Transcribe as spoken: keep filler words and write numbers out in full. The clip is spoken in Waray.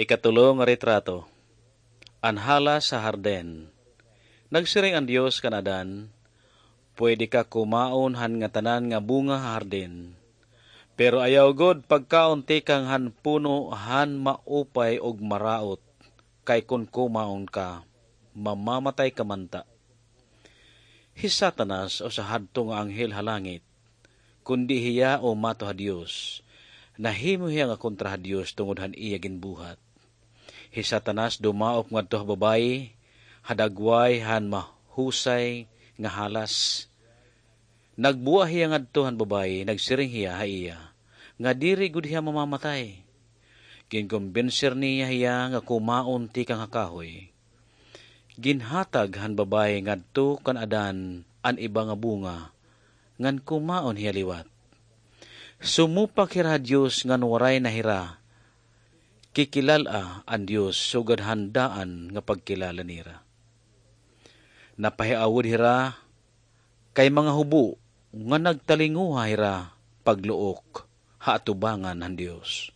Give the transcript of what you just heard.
Ikatulo nga retrato. An halas ha hardin. Nagsiring an Dios kan Adan, "Pwede ka kumaon han ngatanan nga bunga ha hardin, pero ayaw gud pagkaon tikang han puno han maupay ug maraot, kay kon kumaon ka, mamamatay ka man ta." Hi Satanas, usa hadto nga anghel ha langit, kundi hiya umato ha Dios, nahimo hiya nga kontra ha Dios tungod han iya ginbuhat. Hi Satanas dumaop ngadto ha babayi, ha dagway han mahusay nga halas. Nagbua hiya ngadto han babayi, nagsiring hiya ha iya nga diri gud hiya mamamatay. Ginkombenser niya hiya nga kumaon tikang ha kahoy. Ginhatag han babayi ngadto kan Adan an iba nga bunga, ngan kumaon hiya liwat. Sumupak hira ha Dios ngan waray na hira kikilal-a an Dios sugad han daan nga pagkilala nira. Napahiawod hira kay mga hubo nga nagtalinguha hira pagluok ha atubangan han Dios.